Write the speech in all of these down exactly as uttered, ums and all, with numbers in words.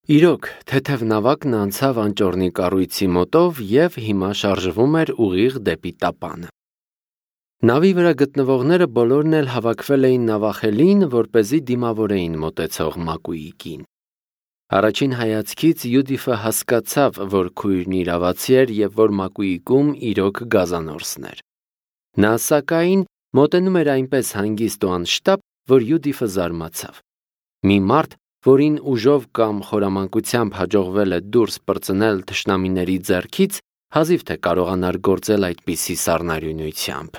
Իրոք, թեթև նավակն անցավ անճոռնի կառույցի մոտով և հիմա շարժվում էր ուղիղ դեպի տապանը։ Նավի վրա գտնվողները բոլորն էլ հավաքվել էին նավախելին, որպեսզի դիմավորեին մոտեցող Մակուիկին։ Առաջին հայացքից Յուդիֆը հասկացավ, որ քույրն իրավացի էր և որ Մակուիկում իրոք գազանորսն էր։ Նա, սակայն, մոտենում էր այնպես հանգիստ ու անշտապ, որ Յուդիֆը զարմացավ։ Մի մարդ, որին ուժով կամ խորամանկությամբ հաջողվել է դուրս պրծնել թշնամիների ձեռքից, հազիվ թե կարողանար գործել այդպիսի սառնարյունությամբ։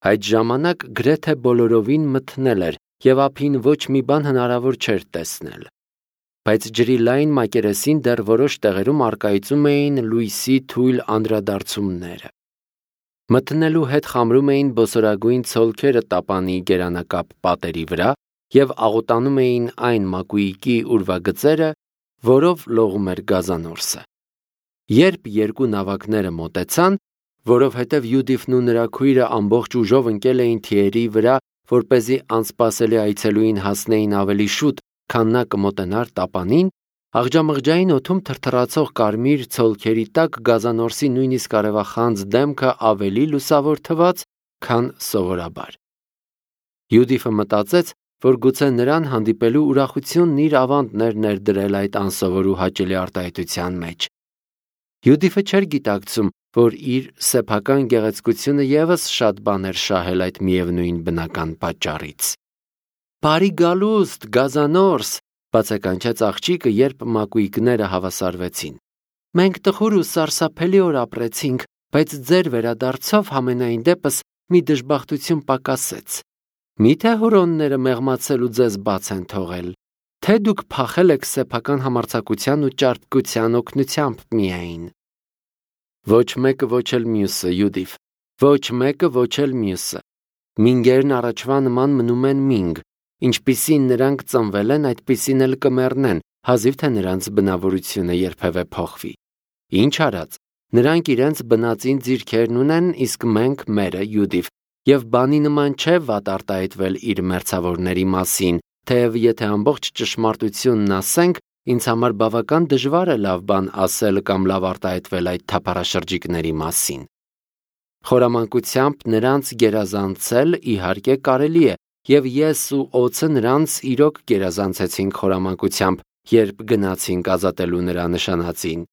Այդ ժամանակ գրեթե բոլորովին մթնել էր և ափին ոչ մի բան հնարավոր չէր տեսնել։ Բայց ջրի լայն մակերեսին դեռ որոշ տեղերում առկայծում էին լույսի թույլ անդրադարձումները։ Մթնելու հետ խամրում էին բոսորագույն ցոլքերը տապանի գերանակապ պատերի վրա և աղոտանում էին այն Մակուիկի ուրվագծերը, որով լողում էր գազանորսը։ Երբ երկու նավակները մոտեցան, որովհետև Յուդիֆն ու նրա քույրը ամբողջ ուժով ընկել էին թիերի վրա, որպեսզի անսպասելի այցելուին հասնեին ավելի շուտ, քան նա կմոտենար տապանին, աղջամղջային օդում թրթռացող կարմիր ցոլքերի տակ գազանորսի նույնիսկ արևախանձ դեմքը ավելի լուսավոր թվաց, քան սովորաբար։ Յուդիֆը մտածեց, որ գուցե նրան հանդիպելու ուրախությունն իր ավանդն էր ներդրել այդ անսովոր ու հաճելի արտահայտության մեջ։ Յուդիֆը չէր գիտակցում, որ իր սեփական գեղեցկությունը ևս շատ բան էր շահել այդ միևնույն բնական պատճառից։ «Բարի գալուստ, գազանորս», բացականչեց աղջիկը, երբ Մակուիկները հավասարվեցին։ «Մենք տխուր ու սարսափելի օր ապրեցինք, բայց ձեր վերադարձով համենայն դեպս մի դժբախտություն պակասեց։ Մի՞թե հորոնները մեղմացել ու ձեզ բաց են թողել, թե դուք փախել եք սեփական համարձակության ու ճարպկության օգնությամբ միայն»։ Ոչ մեկը, ոչ էլ մյուսը, Յուդիֆ, ոչ մեկը, ոչ էլ մյուսը։ Մինգերն առաջվա նման մնում են մինգ, ինչպիսին նրանք ծնվել են, այդպիսին էլ կմեռնեն, հազիվ թե նրանց բնավորությունը երբևէ փոխվի։ Ինչ արած, նրանք իրենց բնածին ձիրքերն ունեն, իսկ մենք մերը, Յուդիֆ, և բանի նման չէ վատ արտահայտվել իր մերձավորների մասին, թեև եթե ամբողջ ճշմարտությունն ասենք, ինձ համար բավական դժվար է լավ բան ասել կամ լավ արտահայտվել այդ թափառաշրջիկների մասին։ Խորամանկությամբ նրանց գերազանցել իհարկե կարելի է, և ես ու օձը նրանց իրոք գերազանցեցինք խորամանկությամբ, երբ գնացինք ազատելու նրա նշանածին։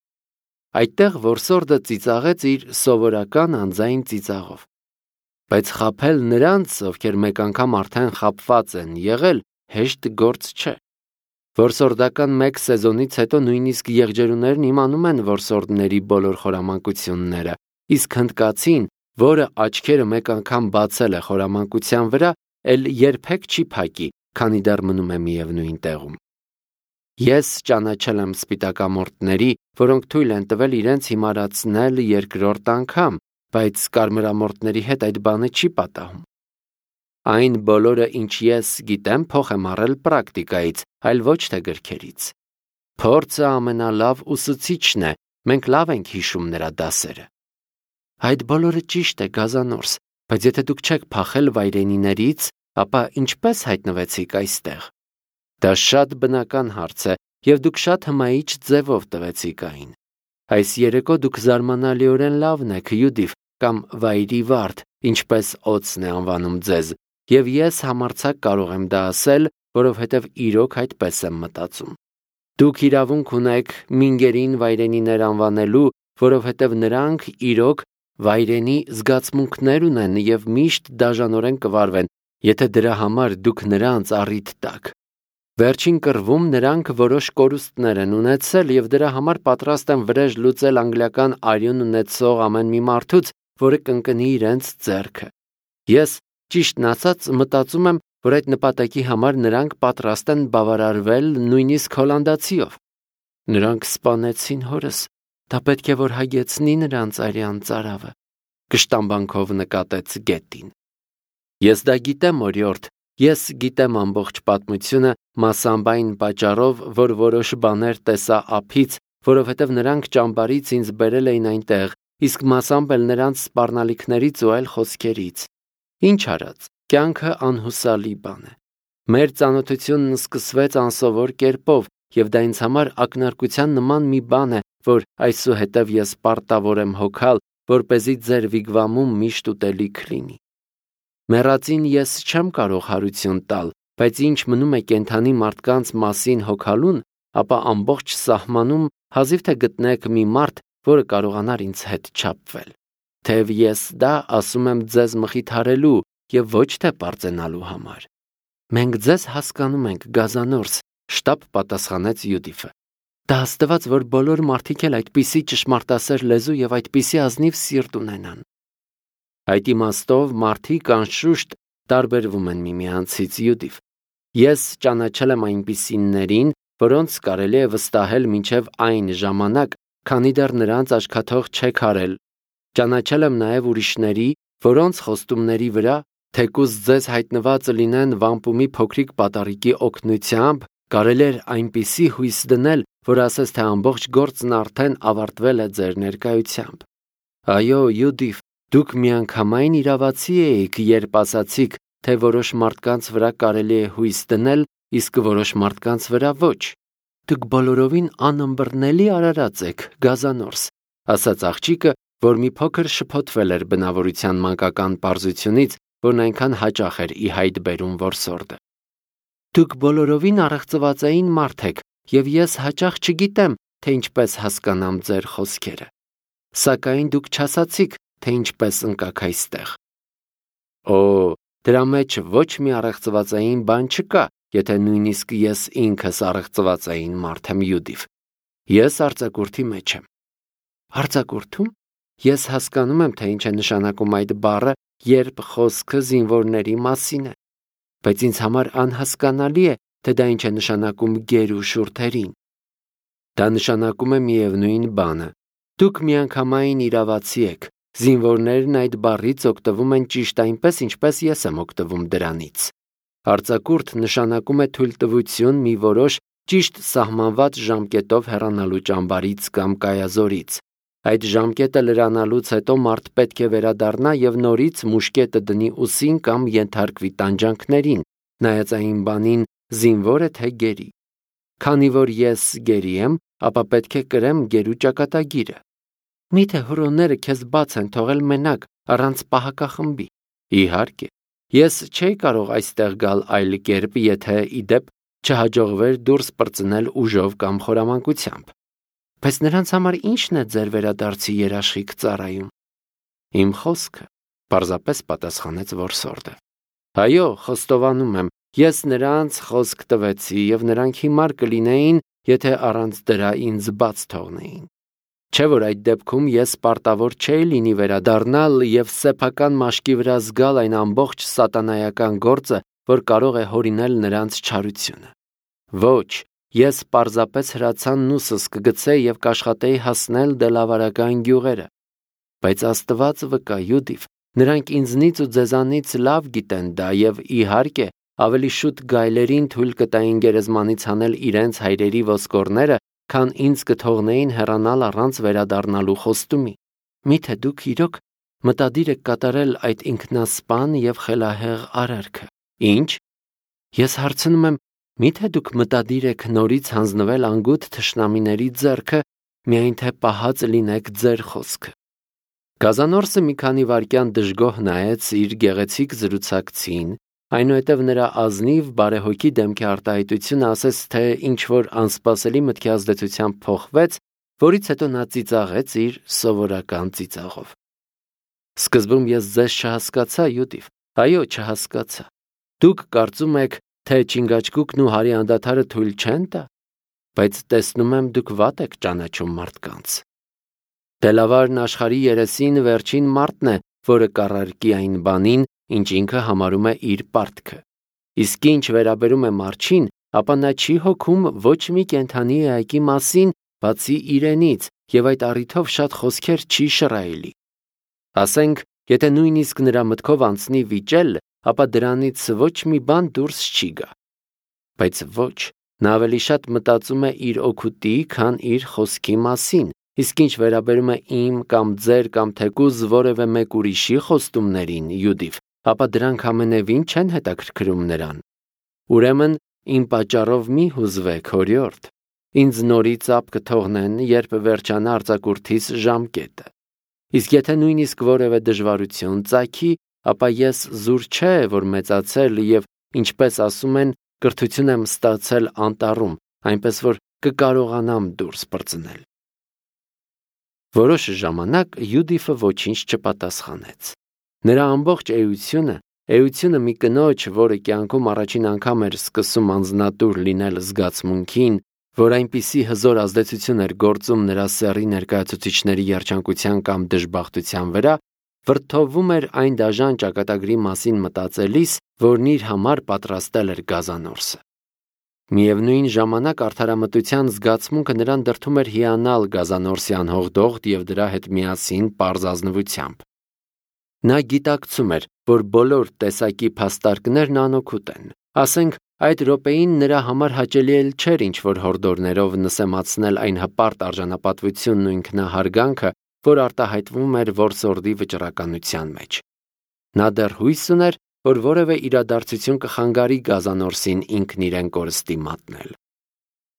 Այդտեղ որսորդը ծիծաղեց իր սովորական անձայն ծիծաղով։ Բայց խաբել նրանց, ովքեր մեկ անգամ արդեն խաբված են եղել, հեշտ գործ չէ։ Որսորդական մեկ սեզոնից հետո նույնիսկ եղջերուներն իմանում են որսորդների բոլոր խորամանկությունները, իսկ հնդկացին, որը աչքերը մեկ անգամ բացել է խորամանկության վրա, էլ երբեք չի փակի, քանի դեռ մնում է միևնույն տեղում։ Ես ճանաչել եմ սպիտակամորթների, որոնք թույլ են տվել իրենց հիմարացնել երկրորդ անգամ, բայց կարմրամորթների հետ այդ բանը չի պատահում։ Այն բոլորը, ինչ ես գիտեմ, փոխ եմ առել պրակտիկայից, այլ ոչ թե գրքերից։ Փորձը ամենալավ ուսուցիչն է, մենք լավ ենք հիշում նրա դասերը։ Այդ բոլորը ճիշտ է, գազանորս, բայց եթե դուք չեք փախել վայրենիներից, ապա ինչպես հայտնվեցիք այստեղ։ Դա շատ բնական հարց է, և դուք շատ հմայիչ ձևով տվեցիք այն։ Այս երեկո դուք զարմանալիորեն լավն եք, Յուդիֆ, կամ վայրի վարդ, ինչպես օձն է անվանում ձեզ, և ես համարձակ կարող եմ դա ասել, որովհետև իրոք այդպես եմ մտածում։ Դուք իրավունք ունեք մինգերին վայրենիներ անվանելու, որովհետև նրանք իրոք վայրենի զգացմունքներ ունեն և միշտ դաժանորեն կվարվեն, եթե դրա համար դուք նրանց առիթ տաք։ Վերջին կռվում նրանք որոշ կորուստներ են ունեցել և դրա համար պատրաստ են վրեժ լուծել անգլիական արյուն ունեցող ամեն մի մարդուց, որը կընկնի իրենց ձեռքը։ Ես, ճիշտն ասած, մտածում եմ, որ այդ նպատակի համար նրանք պատրաստ են բավարարվել նույնիսկ հոլանդացիով։ Նրանք սպանեցին հորս, դա պետք է որ հագեցնի նրանց արյան ծարավը, կշտամբանքով նկատեց Գետին։ Ես դա գիտեմ, օրիորդ, ես գիտեմ ամբողջ պատմությունը մասամբ այն պատճառով, որ որոշ բաներ տեսա ափից, որովհետև նրանք ճամբարից ինձ բերել էին այնտեղ, իսկ մասամբ էլ նրանց սպառնալիքներից ու այլ խոսքերից։ Ինչ արած, կյանքը անհուսալի բան է։ Մեր ծանոթությունն սկսվեց անսովոր կերպով, եւ դա ինձ համար ակնարկության նման մի բան է, որ այսուհետև ես պարտավոր եմ հոգալ, որպեսզի ձեր վիգվամում միշտ ուտելիք լինի։ Մեռածին ես չեմ կարող հարություն տալ, բայց ինչ մնում է կենդանի մարդկանց մասին հոգալուն, ապա ամբողջ սահմանում հազիվ թե գտնեք մի մարդ, որը կարողանար ինձ հետ չափվել։ Թեև ես դա ասում եմ ձեզ մխիթարելու եւ ոչ թե պարծենալու համար։ Մենք ձեզ հասկանում ենք, Գազանորս, շտապ պատասխանեց Յուդիֆը։ Դա հաստատված, որ բոլոր մարդիկ էլ այդպիսի ճշմարտասեր լեզու եւ այդպիսի ազնիվ սիրտ ունենան։ Այդ իմաստով մարդիկ անշուշտ տարբերվում են միմյանցից, Յուդիֆ։ Ես ճանաչել եմ այնպիսիներին, որոնց կարելի է վստահել մինչև այն ժամանակ, քանի դեռ նրանց աչքաթող չեք արել։ Ճանաչել եմ նաև ուրիշների, որոնց խոստումների վրա, թեկուզ ձեզ հայտնված լինեն վամպումի փոքրիկ պատառիկի օգնությամբ, կարելի էր այնպիսի հույս դնել, որ ասես թե ամբողջ գործն արդեն ավարտվել է ձեր ներկայությամբ։ Այո, Յուդիֆ, դուք միանգամայն իրավացի էիք, երբ ասացիք, թե որոշ մարդկանց վրա կարելի է հույս դնել, իսկ որոշ մարդկանց վրա ոչ։ Դուք բոլորովին անըմբռնելի արարած եք, Գազանորս, ասաց աղջիկը, որ մի փոքր շփոթվել էր բնավորության մանկական պարզությունից, որն այնքան հաճախ էր ի հայտ բերում որսորդը։ Դուք բոլորովին առեղծվածային մարդ եք, եւ ես հաճախ չգիտեմ, թե ինչպես հասկանամ ձեր խոսքերը։ Սակայն դուք չասացիք, թե ինչպես ընկաք այստեղ։ Օ, դրա մեջ ոչ մի առեղծվածային բան չկա, եթե նույնիսկ ես ինքս առեղծվածային մարդ եմ, Յուդիֆ։ Ես արձակուրդի մեջ եմ։ Արձակուրդում? Ես հասկանում եմ, թե ինչ է նշանակում այդ բառը, երբ խոսքը զինվորների մասին է, բայց ինձ համար անհասկանալի է, թե դա ինչ է նշանակում գերու շուրթերին։ Դա նշանակում է միևնույն բանը։ Դուք միանգամայն իրավացի եք։ Զինվորներն այդ բառից օգտվում են ճիշտ այնպես, ինչպես ես եմ օգտվում դրանից։ Արձակուրդ նշանակում է թույլտվություն մի որոշ ճիշտ սահմանված ժամկետով հեռանալու ճամբարից կամ կայազորից։ Այդ ժամկետը լրանալուց հետո մարդ պետք է վերադառնա եւ նորից մուշկետը դնի ուսին կամ ենթարկվի տանջանքներին, նայած այն բանին զինվոր է թե գերի։ Քանի որ ես գերի եմ, ապա պետք է կրեմ գերու ճակատագիրը։ Միթե հրոները քեզ բաց են թողել մենակ, առանց պահակախմբի։ Իհարկե, ես չէի կարող այստեղ գալ այլ կերպ, եթե իդեպ չհաջողվեր դուրս պրծնել ուժով կամ խորամանկությամբ։ Բայց նրանց համար ի՞նչն է ձեր վերադարձի երաշխիք ծառայում։ Իմ խոսքը, պարզապես պատասխանեց որսորդը։ Այո, խոստովանում եմ, ես նրանց խոսք տվեցի եւ նրանք հիմար կլինեին, եթե առանց դրա ինձ բաց թողնեին։ Չէ՞ որ այդ դեպքում ես պարտավոր չէի լինի վերադառնալ եւ սեփական մաշկի վրա զգալ այն ամբողջ սատանայական գործը, որ կարող է հորինել նրանց չարությունը։ Ոչ, ես պարզապես հրացաննուսս կգցեի եւ կաշխատեի հասնել դելավարական գյուղերը։ Բայց Աստված վկա, Յուդիֆ, նրանք ինձնից ու ձեզանից լավ գիտեն դա եւ իհարկե ավելի շուտ գայլերին թույլ կտային գերեզմանից հանել իրենց հայրերի ոսկորները, քան ինձ կթողնեին հեռանալ առանց վերադառնալու խոստումի։ Միթե դուք իրոք մտադիր եք կատարել այդ ինքնասպան եւ խելահեղ արարքը։ Ինչ? Ես հարցնում եմ, միթե դուք մտադիր եք նորից հանձնվել անգութ թշնամիների ձեռքը, միայն թե պահած լինեք ձեր խոսքը։ Գազանորսը մի քանի վայրկյան դժգոհ նայեց իր գեղեցիկ զրուցակցին, այնուհետև նրա ազնիվ բարեհոգի դեմքի արտահայտությունը ասես թե ինչ-որ անսպասելի մտքի ազդեցությամբ փոխվեց, որից հետո նա ծիծաղեց իր սովորական ծիծաղով։ Սկզբում ես ձեզ չհասկացա, Յուդիֆ, այո, չհասկացա։ Դուք կարծում եք, թե Չինգաչգուկն ու Հարի անդադարը թույլ չեն տա, բայց տեսնում եմ դուք վատ եք ճանաչում մարդկանց։ Դելավարն աշխարհի երեսին վերջին մարդն է, որը կառարկի այն բանին, ինչ ինքը համարում է իր պարտքը։ Իսկ ինչ վերաբերում է Մարչին, ապա նա չի հոգում ոչ մի կենդանի էակի մասին, բացի իրենից, եւ այդ առիթով շատ խոսքեր չի շռայելի։ Ասենք, եթե նույնիսկ նրա մտքով անցնի վիճել, ապա դրանից ոչ մի բան դուրս չի գա։ Բայց ոչ, նա ավելի շատ մտածում է իր օգուտի, քան իր խոսքի մասին, իսկ ինչ վերաբերում է իմ կամ ձեր կամ թեկուզ որևէ մեկ ուրիշի խոստումներին, Յուդիֆ, ապա դրանք ամենևին չեն հետաքրքրում նրան։ Ուրեմն, իմ պատճառով մի հուզվեք, հորիորդ, Ինձ նորից ապ կթողնեն, երբ վերջանա արձակուրդիս ժամկետը։ Իսկ եթե նույնիսկ որևէ դժվարություն ծագի, ապա ես զուր չէ, որ մեծացել եւ, ինչպես ասում են, կրթություն եմ ստացել անտառում, այնպես որ կկարողանամ դուրս պրծնել։ Որոշ ժամանակ Յուդիֆը ոչինչ չպատասխանեց։ Նրա ամբողջ էությունը, էությունը մի կնոջ, որը կյանքում առաջին անգամ էր սկսում անձնատուր լինել զգացմունքին, որ այնպիսի հզոր ազդեցություն էր գործում նրա սեռի ներկայացուցիչների երջանկության կամ դժբախտության վրա, վրդովվում էր այն դաժան ճակատագրի մասին մտածելիս, որն իր համար պատրաստել էր գազանորսը։ Միևնույն ժամանակ արդարամտության զգացմունքը նրան դրդում էր հիանալ գազանորսի անհողդողդ և դրա հետ միասին պարզ ազնվությամբ։ Նա գիտակցում էր, որ բոլոր տեսակի փաստարկներն անօգուտ են։ Ասենք, այդ րոպեին նրա համար հաճելի էլ չէր ինչ-որ հորդորներով նսեմացնել այն հպարտ արժանապատվությունն ու ինքնահարգանքը, որ արտահայտվում էր որսորդի վճռականության մեջ։ Նա դեռ հույս ուներ, որ որևէ իրադարձություն կխանգարի գազանորսին ինքն իրեն կորստի մատնել։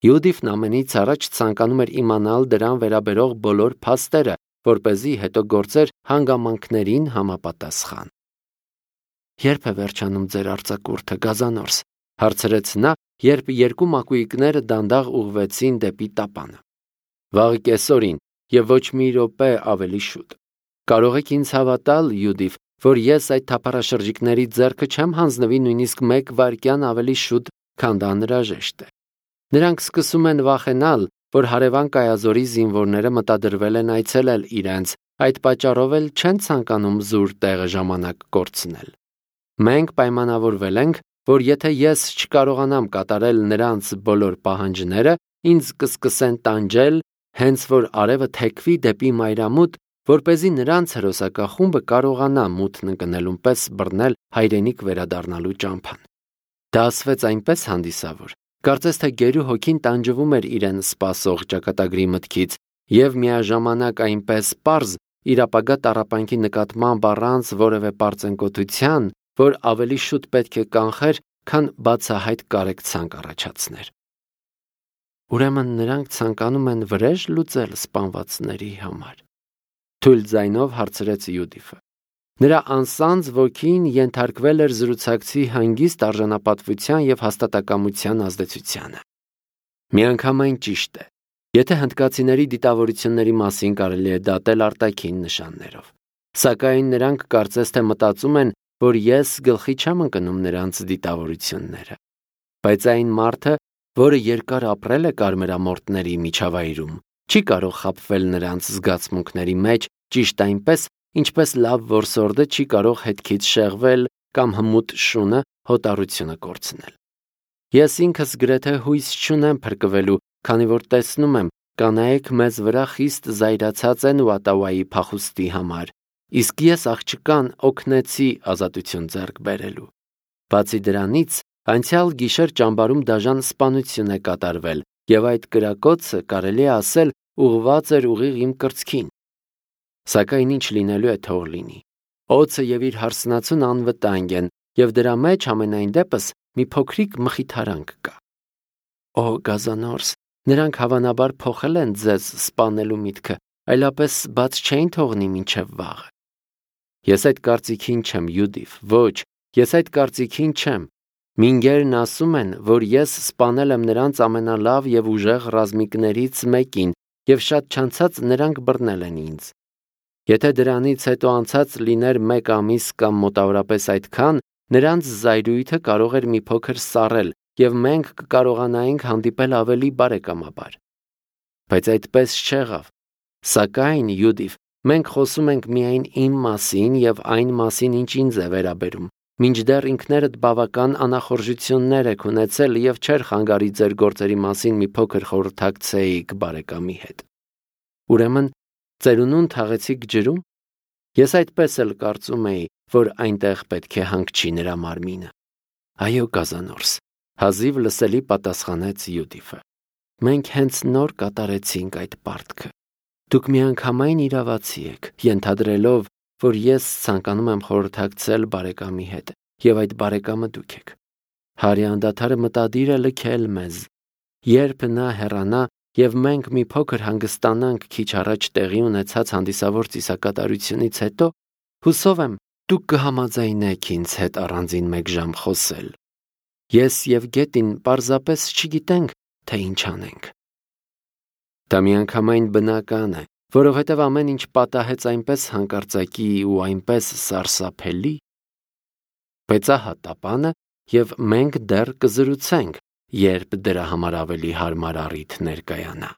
Յուդիֆն ամենից առաջ ցանկանում էր իմանալ դրան վերաբերող բոլոր փաստերը, որպեսզի հետո գործեր հանգամանքներին համապատասխան։ Ե՞րբ է վերջանում ձեր արձակուրդը, գազանորս, հարցրեց նա, երբ երկու մակույկները դանդաղ ուղղվեցին դեպի տապանը։ Վաղ կեսօրին եւ ոչ մի րոպե ավելի շուտ։ Կարող եք ինձ հավատալ, Յուդիֆ, որ ես այդ թափառաշրջիկների ձեռքը չեմ հանձնվի նույնիսկ մեկ վայրկյան ավելի շուտ, քան դա անհրաժեշտ է։ Նրանք սկսում են վախենալ, որ հարևան կայազորի զինվորները մտադրվել են այցելել իրենց, այդ պատճառով էլ չեն ցանկանում զուր տեղը ժամանակ կորցնել։ Մենք պայմանավորվել ենք, որ եթե ես չկարողանամ կատարել նրանց բոլոր պահանջները, ինձ կսկսեն տանջել, հենց որ արևը թեքվի դեպի մայրամուտ, որպեսզի նրանց հրոսակախումբը կարողանա մութն ընկնելուն պես բռնել հայրենիք վերադառնալու ճամփան։ Դա ասվեց այնպես հանդիսավոր, կարծես թե գերու հոգին տանջվում էր իրեն սպասող ճակատագրի մտքից եւ միաժամանակ այնպես պարզ իր ապագա տառապանքի նկատմամբ առանց որևէ պարծենկոտության, որ ավելի շուտ պետք է կանխեր, քան բացահայտ կարեկցանք առաջացներ։ Ուրեմն նրանք ցանկանում են վրեժ լուծել սպանվածների համար։ Թույլ ձայնով հարցրեց Յուդիֆը։ Նրա անսանձ ոգին ենթարկվել էր զրուցակցի հանգիստ արժանապատվության և հաստատակամության ազդեցությանը։ Միանգամայն ճիշտ է, եթե հնդկացիների դիտավորությունների մասին կարելի է դատել արտաքին նշաններով։ Սակայն նրանք կարծես թե մտածում են, որ ես գլխի չեմ ընկնում նրանց դիտավորությունները։ Բայց այն մարդը, որը երկար ապրել է կարմրամորթների միջավայրում, չի կարող խաբվել նրանց զգացմունքների մեջ ճիշտ այնպես, ինչպես լավ որսորդը չի կարող հետքից շեղվել կամ հմուտ շունը հոտառությունը կորցնել։ Ես ինքս գրեթե հույս չունեմ փրկվելու, քանի որ տեսնում եմ, կանայք մեզ վրա խիստ զայրացած են Ուատավայի փախուստի համար, իսկ ես աղջկան օգնեցի ազատություն ձեռք բերելու։ Բացի դրանից, անցյալ գիշեր ճամբարում դաժան սպանություն է կատարվել, եւ այդ կրակոցը կարելի է ասել ուղղված էր ուղիղ իմ կրծքին։ Սակայն ինչ լինելու է թող լինի։ Օձը եւ իր հարսնացուն անվտանգ են, եւ դրա մեջ ամենայն դեպս մի փոքրիկ մխիթարանք կա։ Օ, գազանորս, նրանք հավանաբար փոխել են ձեզ սպանելու միտքը, այլապես բաց չէին թողնի մինչև վաղը։ Ես այդ կարծիքին չեմ, Յուդիֆ, ոչ, ես այդ կարծիքին չեմ։ Մինգերն ասում են, որ ես սպանել եմ նրանց ամենալավ եւ ուժեղ ռազմիկներից մեկին, եւ շատ չանցած նրանք բռնել են ինձ։ Եթե դրանից հետո անցած լիներ մեկ ամիս կամ մոտավորապես այդքան, նրանց զայրույթը կարող էր մի փոքր սառել, եւ մենք կկարողանայինք հանդիպել ավելի բարեկամաբար։ Բայց այդպես չեղավ։ Սակայն, Յուդիֆ, մենք խոսում ենք միայն իմ մասին եւ այն մասին, ինչ ինձ է վերաբերում, մինչդեռ ինքներդ բավական անախորժություններ եք ունեցել եւ չէր խանգարի ձեր գործերի մասին մի փոքր խորհրդակցեիք բարեկամի հետ։ Ուրեմն, ծերունուն թաղեցիք ջրում։ Ես այդպես էլ կարծում էի, որ այնտեղ պետք է հանգչի նրա մարմինը։ Այո, գազանորս, հազիվ լսելի պատասխանեց Յուդիֆը։ Մենք հենց նոր կատարեցինք այդ պարտքը։ Դուք միանգամայն իրավացի եք, ենթադրելով, որ ես ցանկանում եմ խորհրդակցել բարեկամի հետ, եւ այդ բարեկամը դուք եք։ Հարի անդադարը մտադիր է լքել մեզ, Երբ նա հեռանա եւ մենք մի փոքր հանգստանանք քիչ առաջ տեղի ունեցած հանդիսավոր ծիսակատարությունից հետո, հուսով եմ, դուք կհամաձայնեք ինձ հետ առանձին մեկ ժամ խոսել։ Ես եւ Գետին պարզապես չգիտենք, թե ինչ անենք։ Դա միանգամայն բնական է, որովհետև ամեն ինչ պատահեց այնպես հանկարծակի ու այնպես սարսափելի։ Բայց ահա տապանը, եւ մենք դեռ կզրուցենք, երբ դրա համար ավելի հարմար առիթ ներկայանա։